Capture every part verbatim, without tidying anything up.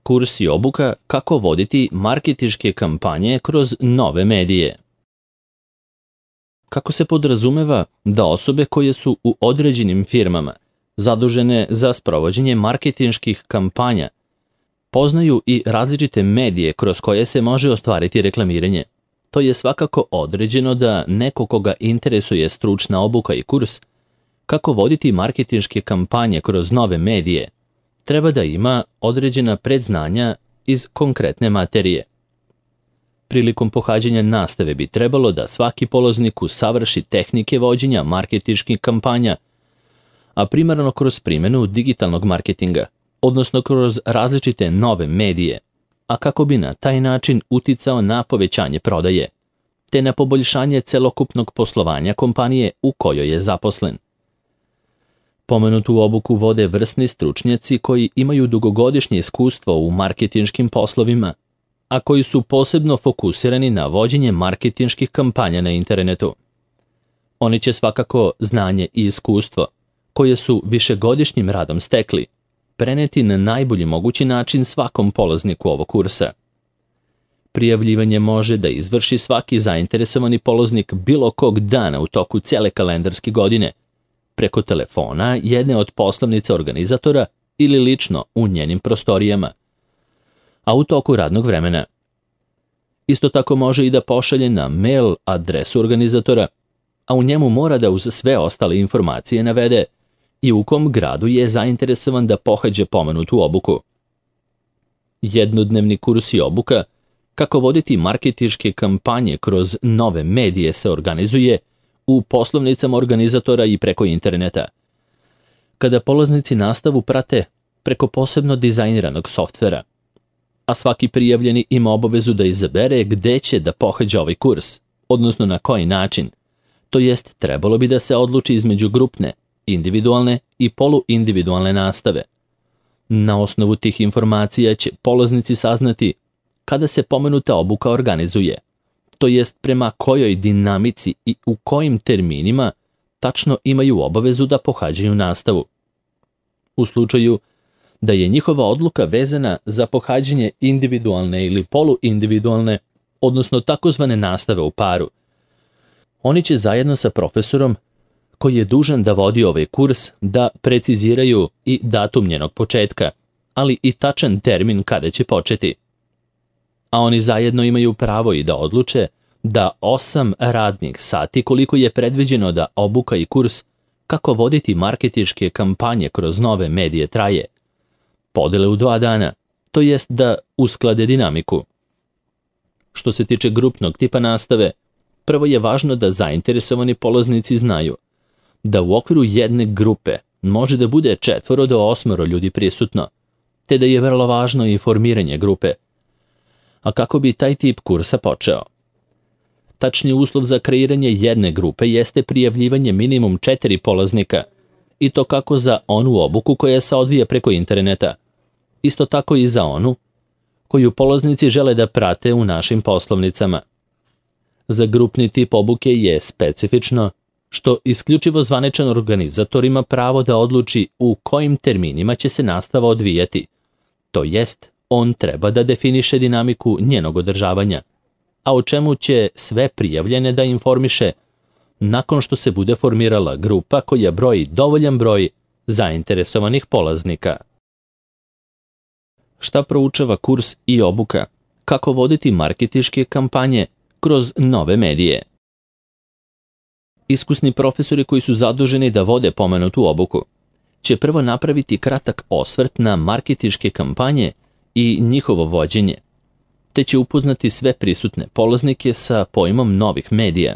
Kurs i obuka kako voditi marketinške kampanje kroz nove medije. Kako se podrazumeva da osobe koje su u određenim firmama zadužene za sprovođenje marketinških kampanja poznaju i različite medije kroz koje se može ostvariti reklamiranje. To je svakako određeno da neko koga interesuje stručna obuka i kurs kako voditi marketinške kampanje kroz nove medije treba da ima određena predznanja iz konkretne materije. Prilikom pohađanja nastave bi trebalo da svaki polaznik usavrši tehnike vođenja marketinških kampanja, a primarno kroz primjenu digitalnog marketinga, odnosno kroz različite nove medije, a kako bi na taj način uticao na povećanje prodaje, te na poboljšanje celokupnog poslovanja kompanije u kojoj je zaposlen. Pomenutu obuku vode vrsni stručnjaci koji imaju dugogodišnje iskustvo u marketinškim poslovima, a koji su posebno fokusirani na vođenje marketinških kampanja na internetu. Oni će svakako znanje i iskustvo, koje su višegodišnjim radom stekli, preneti na najbolji mogući način svakom polazniku ovog kursa. Prijavljivanje može da izvrši svaki zainteresovani polaznik bilo kog dana u toku cele kalendarske godine, preko telefona jedne od poslovnica organizatora ili lično u njenim prostorijama, a u toku radnog vremena. Isto tako može i da pošalje na mail adresu organizatora, a u njemu mora da uz sve ostale informacije navede i u kom gradu je zainteresovan da pohađa pomenutu obuku. Jednodnevni kurs i obuka kako voditi marketinške kampanje kroz nove medije se organizuje u poslovnicama organizatora i preko interneta. Kada polaznici nastavu prate preko posebno dizajniranog softvera, a svaki prijavljeni ima obavezu da izabere gde će da pohađa ovaj kurs, odnosno na koji način, to jest trebalo bi da se odluči između grupne, individualne i poluindividualne nastave. Na osnovu tih informacija će polaznici saznati kada se pomenuta obuka organizuje, to jest prema kojoj dinamici i u kojim terminima tačno imaju obavezu da pohađaju nastavu. U slučaju da je njihova odluka vezana za pohađanje individualne ili poluindividualne, odnosno takozvane nastave u paru, oni će zajedno sa profesorom koji je dužan da vodi ovaj kurs da preciziraju i datum njenog početka, ali i tačan termin kada će početi. A oni zajedno imaju pravo i da odluče da osam radnih sati koliko je predviđeno da obuka i kurs kako voditi marketinške kampanje kroz nove medije traje, podele u dva dana, to jest da usklade dinamiku. Što se tiče grupnog tipa nastave, prvo je važno da zainteresovani polaznici znaju da u okviru jedne grupe može da bude četvoro do osmoro ljudi prisutno, te da je vrlo važno informiranje grupe. A kako bi taj tip kursa počeo? Tačni uslov za kreiranje jedne grupe jeste prijavljivanje minimum četiri polaznika, i to kako za onu obuku koja se odvija preko interneta, isto tako i za onu koju polaznici žele da prate u našim poslovnicama. Za grupni tip obuke je specifično što isključivo zvaničan organizator ima pravo da odluči u kojim terminima će se nastava odvijati, to jest on treba da definiše dinamiku njenog održavanja, a o čemu će sve prijavljene da informiše nakon što se bude formirala grupa koja broji dovoljan broj zainteresovanih polaznika. Šta proučava kurs i obuka? Kako voditi marketinške kampanje kroz nove medije? Iskusni profesori koji su zaduženi da vode pomenutu obuku će prvo napraviti kratak osvrt na marketinške kampanje i njihovo vođenje, te će upoznati sve prisutne polaznike sa pojmom novih medija,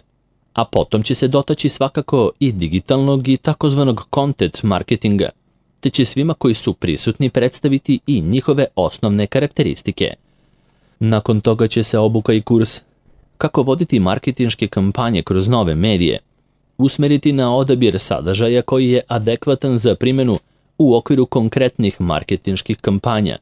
a potom će se dotaći svakako i digitalnog i takozvanog content marketinga, te će svima koji su prisutni predstaviti i njihove osnovne karakteristike. Nakon toga će se obuka i kurs kako voditi marketinške kampanje kroz nove medije usmeriti na odabir sadržaja koji je adekvatan za primjenu u okviru konkretnih marketinških kampanja,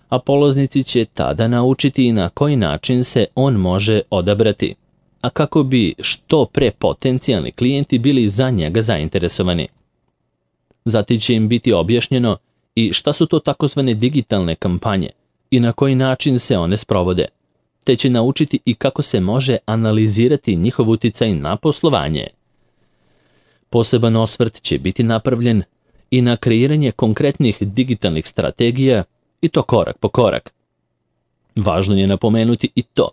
a polaznici će tada naučiti i na koji način se on može odabrati, a kako bi što pre potencijalni klijenti bili za njega zainteresovani. Zatim će im biti objašnjeno i šta su to takozvane digitalne kampanje i na koji način se one sprovode, te će naučiti i kako se može analizirati njihov uticaj na poslovanje. Poseban osvrt će biti napravljen i na kreiranje konkretnih digitalnih strategija i to korak po korak. Važno je napomenuti i to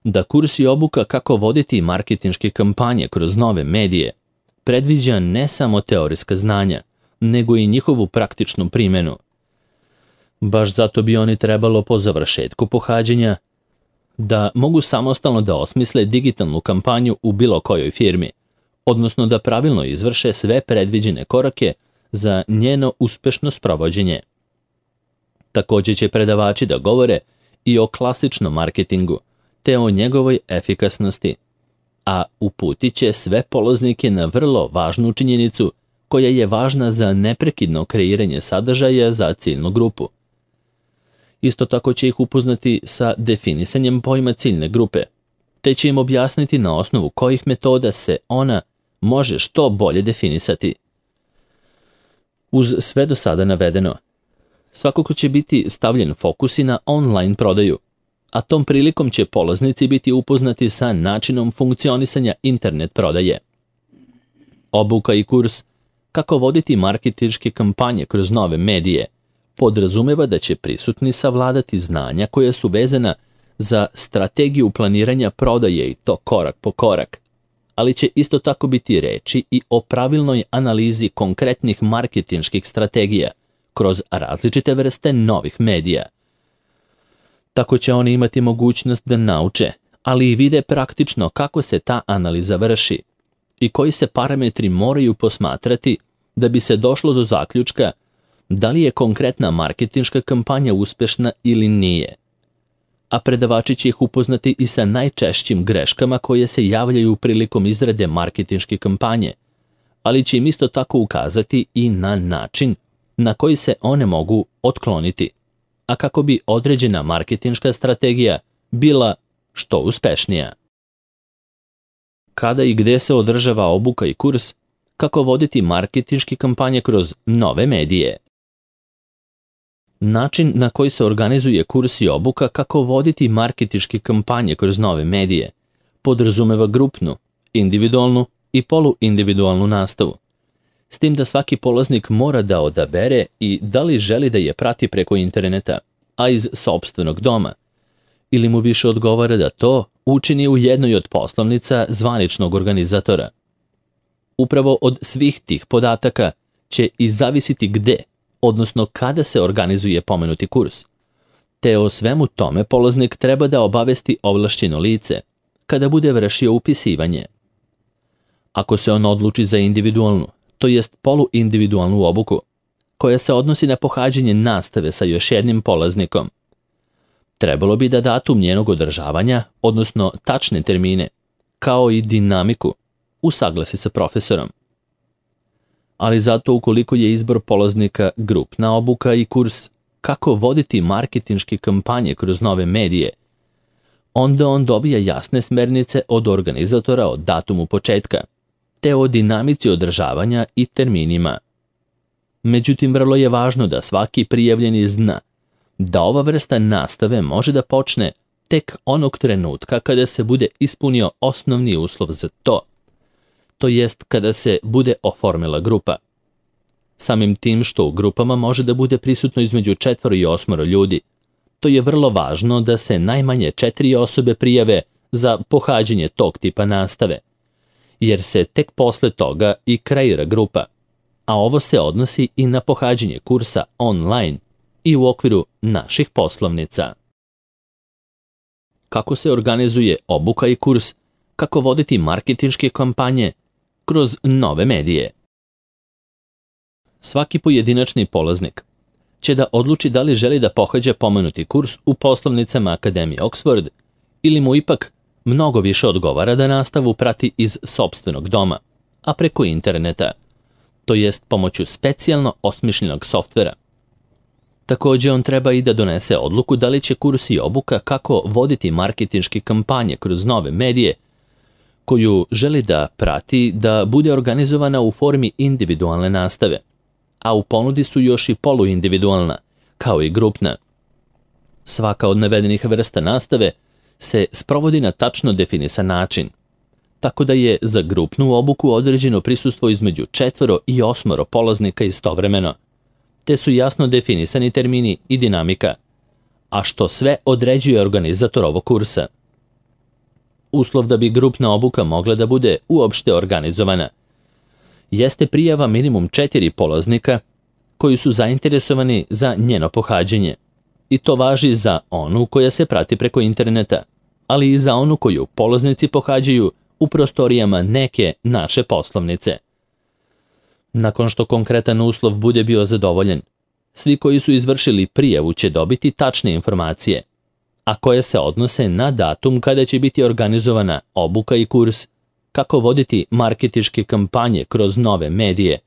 da kurs i obuka kako voditi marketinške kampanje kroz nove medije predviđa ne samo teorijska znanja, nego i njihovu praktičnu primjenu. Baš zato bi oni trebalo po završetku pohađanja da mogu samostalno da osmisle digitalnu kampanju u bilo kojoj firmi, odnosno da pravilno izvrše sve predviđene korake za njeno uspešno sprovođenje. Također će predavači da govore i o klasičnom marketingu, te o njegovoj efikasnosti, a uputit će sve polaznike na vrlo važnu činjenicu koja je važna za neprekidno kreiranje sadržaja za ciljnu grupu. Isto tako će ih upoznati sa definisanjem pojma ciljne grupe, te će im objasniti na osnovu kojih metoda se ona može što bolje definisati. Uz sve do sada navedeno, svakako će biti stavljen fokus i na online prodaju, a tom prilikom će polaznici biti upoznati sa načinom funkcionisanja internet prodaje. Obuka i kurs kako voditi marketinške kampanje kroz nove medije podrazumeva da će prisutni savladati znanja koja su vezana za strategiju planiranja prodaje i to korak po korak, ali će isto tako biti reči i o pravilnoj analizi konkretnih marketinških strategija kroz različite vrste novih medija. Tako će oni imati mogućnost da nauče, ali i vide praktično kako se ta analiza vrši i koji se parametri moraju posmatrati da bi se došlo do zaključka da li je konkretna marketinška kampanja uspešna ili nije. A predavači će ih upoznati i sa najčešćim greškama koje se javljaju prilikom izrade marketinške kampanje, ali će im isto tako ukazati i na način na koji se one mogu otkloniti, a kako bi određena marketinška strategija bila što uspešnija. Kada i gde se održava obuka i kurs kako voditi marketinške kampanje kroz nove medije? Način na koji se organizuje kurs i obuka kako voditi marketinške kampanje kroz nove medije podrazumeva grupnu, individualnu i poluindividualnu nastavu, s tim da svaki polaznik mora da odabere i da li želi da je prati preko interneta, a iz sopstvenog doma, ili mu više odgovara da to učini u jednoj od poslovnica zvaničnog organizatora. Upravo od svih tih podataka će i zavisiti gde, odnosno kada se organizuje pomenuti kurs, te o svemu tome polaznik treba da obavesti ovlašćeno lice kada bude vršio upisivanje. Ako se on odluči za individualnu, to jest poluindividualnu obuku, koja se odnosi na pohađanje nastave sa još jednim polaznikom, trebalo bi da datum njenog održavanja, odnosno tačne termine, kao i dinamiku, usaglasi sa profesorom. Ali zato ukoliko je izbor polaznika grupna obuka i kurs kako voditi marketinške kampanje kroz nove medije, onda on dobija jasne smernice od organizatora o datumu početka, te o dinamici održavanja i terminima. Međutim, vrlo je važno da svaki prijavljeni zna da ova vrsta nastave može da počne tek onog trenutka kada se bude ispunio osnovni uslov za to, to jest kada se bude oformila grupa. Samim tim što u grupama može da bude prisutno između četvoro i osmoro ljudi, to je vrlo važno da se najmanje četiri osobe prijave za pohađanje tog tipa nastave, jer se tek posle toga i kreira grupa, a ovo se odnosi i na pohađanje kursa online i u okviru naših poslovnica. Kako se organizuje obuka i kurs kako voditi marketinške kampanje kroz nove medije? Svaki pojedinačni polaznik će da odluči da li želi da pohađa pomenuti kurs u poslovnicama Akademije Oxford ili mu ipak mnogo više odgovara da nastavu prati iz sopstvenog doma, a preko interneta, to jest pomoću specijalno osmišljenog softvera. Također on treba i da donese odluku da li će kurs i obuka kako voditi marketinške kampanje kroz nove medije koju želi da prati da bude organizovana u formi individualne nastave, a u ponudi su još i poluindividualna, kao i grupna. Svaka od navedenih vrsta nastave se sprovodi na tačno definisan način, tako da je za grupnu obuku određeno prisustvo između četvoro i osmoro polaznika istovremeno, te su jasno definisani termini i dinamika, a što sve određuje organizator ovog kursa. Uslov da bi grupna obuka mogla da bude uopšte organizovana jeste prijava minimum četiri polaznika koji su zainteresovani za njeno pohađanje, i to važi za onu koja se prati preko interneta, ali i za onu koju polaznici pohađaju u prostorijama neke naše poslovnice. Nakon što konkretan uslov bude bio zadovoljen, svi koji su izvršili prijavu će dobiti tačne informacije, a koje se odnose na datum kada će biti organizovana obuka i kurs, kako voditi marketinške kampanje kroz nove medije,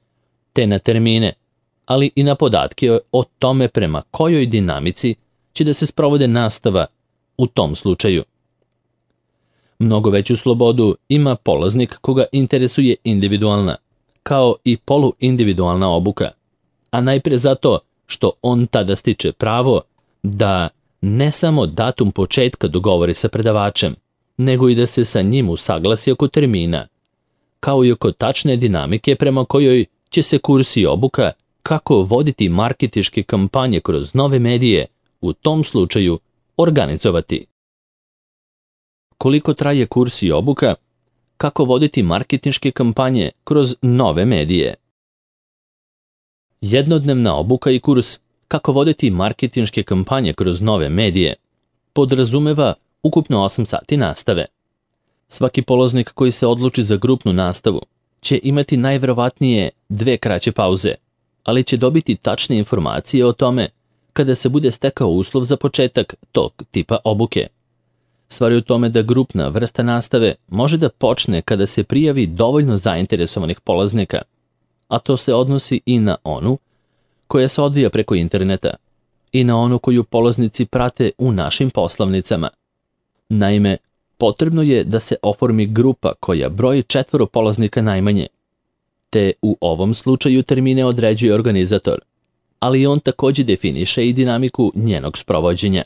te na termine, ali i na podatke o tome prema kojoj dinamici će da se sprovode nastava u tom slučaju. Mnogo veću slobodu ima polaznik koga interesuje individualna, kao i poluindividualna obuka, a najpre zato što on tada stiče pravo da ne samo datum početka dogovori sa predavačem, nego i da se sa njim usaglasi oko termina, kao i oko tačne dinamike prema kojoj će se kurs i obuka kako voditi marketinške kampanje kroz nove medije u tom slučaju organizovati. Koliko traje kurs i obuka, kako voditi marketinške kampanje kroz nove medije? Jednodnevna obuka i kurs kako voditi marketinške kampanje kroz nove medije podrazumeva ukupno osam sati nastave. Svaki polaznik koji se odluči za grupnu nastavu će imati najverovatnije dve kraće pauze, ali će dobiti tačne informacije o tome kada se bude stekao uslov za početak tog tipa obuke. Stvar je u tome da grupna vrsta nastave može da počne kada se prijavi dovoljno zainteresovanih polaznika, a to se odnosi i na onu koja se odvija preko interneta i na onu koju polaznici prate u našim poslovnicama. Naime, potrebno je da se oformi grupa koja broji četvoro polaznika najmanje, te u ovom slučaju termine određuje organizator, ali on takođe definiše i dinamiku njenog sprovođenja.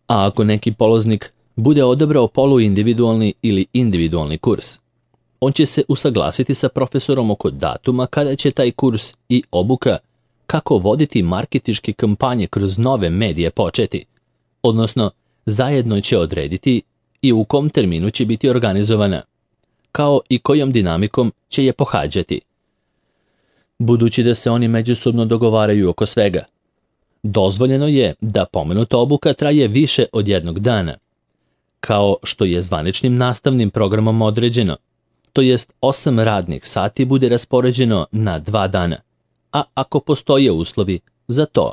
A ako neki polaznik bude odabrao poluindividualni ili individualni kurs, on će se usaglasiti sa profesorom oko datuma kada će taj kurs i obuka kako voditi marketinške kampanje kroz nove medije početi, odnosno zajedno će odrediti i u kom terminu će biti organizovana, kao i kojom dinamikom će je pohađati. Budući da se oni međusobno dogovaraju oko svega, dozvoljeno je da pomenuta obuka traje više od jednog dana, kao što je zvaničnim nastavnim programom određeno, to jest osam radnih sati bude raspoređeno na dva dana, a ako postoje uslovi za to.